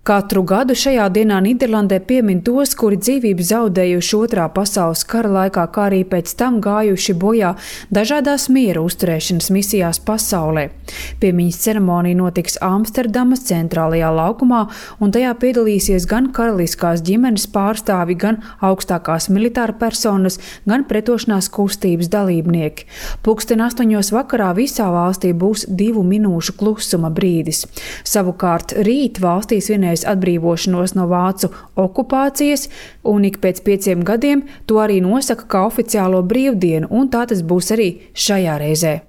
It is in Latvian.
Katru gadu šajā dienā Nīderlandē piemin tos, kuri dzīvību zaudējuši Otrā pasaules kara laikā, kā arī pēc tam gājuši bojā dažādās miera uzturēšanas misijās pasaulē. Piemiņas ceremonija notiks Amsterdamas centrālajā laukumā, un tajā piedalīsies gan karaliskās ģimenes pārstāvi, gan augstākās militāra personas, gan pretošanās kustības dalībnieki. 8:00 vakarā visā valstī būs 2 minūšu klusuma brīdis. Savukārt rīt valstī svinēs atbrīvošanos no vācu okupācijas, un ik pēc 5 gadiem to arī nosaka kā oficiālo brīvdienu, un tā tas būs arī šajā reizē.